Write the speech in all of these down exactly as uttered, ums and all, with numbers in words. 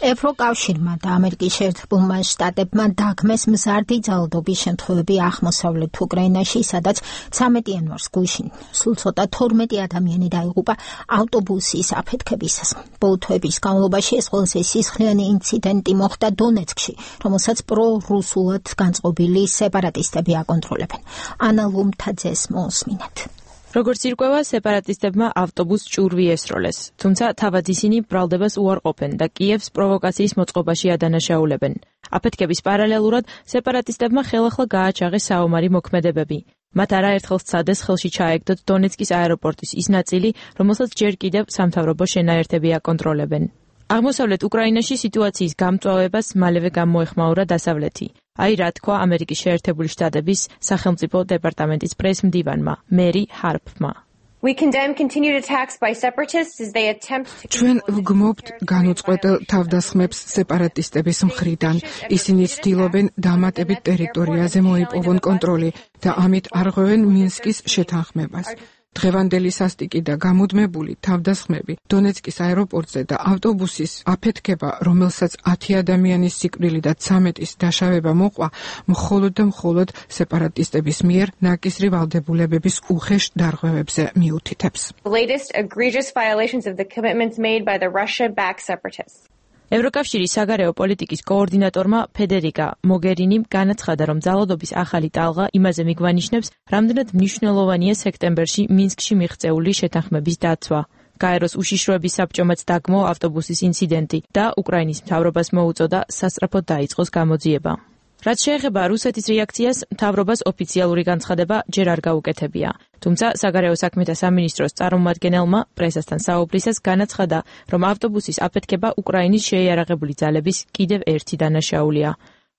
ევროკავშირმა და ამერიკის შეერთებულმა შტატებმა დაგმეს მზარდი ძალადობის შემთხვევები აღმოსავლეთ უკრაინაში, სადაც ცამეტი იანვარს გუშინ სულ ცოტა თორმეტი ადამიანი დაიღუპა ავტობუსის აფეთქებისას. ბოლო თვეების განმავლობაში ეს ყველაზე სისხლიანი ინციდენტი მოხდა დონეცკში, რომელსაც პრორუსულად განწყობილი სეპარატისტები აკონტროლებენ. ანა ლუმთაძეს მოусმინეთ. როგორც ირკვევა, სეპარატისტებმა ავტობუსს ჭურვი ესროლეს, თუმცა თავად ისინი ბრალდებას უარყოფენ და კიევს პროვოკაციის მოწყობაში ადანაშაულებენ. აფეთქების პარალელურად სეპარატისტებმა ხელახლა გააჩაღეს საომარი მოქმედებები. მათ არაერთხელ სცადეს ხელში ჩაეგდოთ დონეცკის აეროპორტის ის ნაწილი, რომელსაც ჯერ კიდევ სამთავრობო შენაერთები აკონტროლებენ. აღმოსავლეთ უკრაინაში სიტუაციის გამწვავებას მალევე გამოეხმაურა დასავლეთი. აი რა თქვა ამერიკის შეერთებული შტატების სახელმწიფო დეპარტამენტის პრეს-მდივანმა, მერი ჰარპმა. ჩვენ ვგმობთ განუწყვეტელ თავდასხმებს სეპარატისტების მხრიდან. ისინი ცდილობენ დამატებით ტერიტორიაზე მოიპოვონ კონტროლი და ამით არღვევენ მინსკის შეთანხმებას. დღევანდელი სასტიკი და გამუდმებული თავდასხმები დონეცკის აეროპორტზე და ავტობუსის აფეთქება, რომელსაც ათი ადამიანის სიკვდილი და ცამეტის დაშავება მოყვა, მხოლოდ და მხოლოდ სეპარატისტების მიერ ნაკისრი ვალდებულებების უხეშ დარღვევებზე მიუთითებს. ევროკავშირის საგარეო პოლიტიკის კოორდინატორმა ფედერიკა მოგერინიმ განაცხადა, რომ ძალადობის ახალი ტალღა იმაზე მიგვანიშნებს, რამდენად მნიშვნელოვანია სექტემბერში მინსკში მიღწეული შეთანხმების დაცვა. გაეროს უშიშროების საბჭომაც დაგმო ავტობუსის ინციდენტი და უკრაინის მთავრობას მოუწოდა სასწრაფოდ დაიწყოს გამოძიება. რაც შეეხება რუსეთის რეაქციას, მთავრობას ოფიციალური განცხადება ჯერ არ გაუკეთებია. თუმცა საგარეო საქმეთა სამინისტროს წარმომადგენელმა პრესასთან საუბრისას განაცხადა, რომ ავტობუსის აფეთქება უკრაინის შეიარაღებული ძალების კიდევ ერთი დანაშაულია.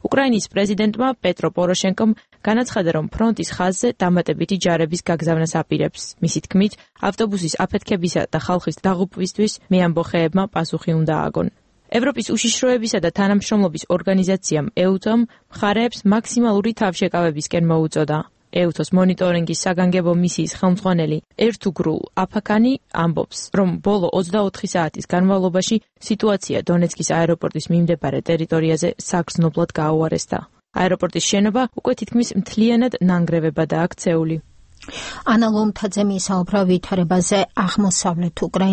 უკრაინის პრეზიდენტმა პეტრო პოროშენკომ განაცხადა, რომ ფრონტის ხაზზე დამატებითი ჯარების გაგზავნას აპირებს. მისი თქმით, ავტობუსის აფეთქებისა და ხალხის დაღუპვისთვის მეამბოხეებმა პასუხი უნდა ააგონ. ევროპის უშიშროებისა და თანამშრომლობის ორგანიზაციამ ეუთომ მხარეებს მაქსიმალური თავშეკავებისკენ მოუწოდა. ეუთოს მონიტორინგის საგანგებო მისიის ხელმძღვანელი ერთუგრულ აფაკანი ამბობს, რომ ბოლო ოცდაოთხი საათის განმავლობაში სიტუაცია დონეცკის აეროპორტის მიმდებარე ტერიტორიაზე საგრძნობლად გააუარესდა. აეროპორტის შენობა უკვე თითქმის მთლიანად ნანგრევებადაა ქცეული. ანა ლუმთაძე მისაუბრა ვითარებაზე აღმოსავლეთ უკრაინაში.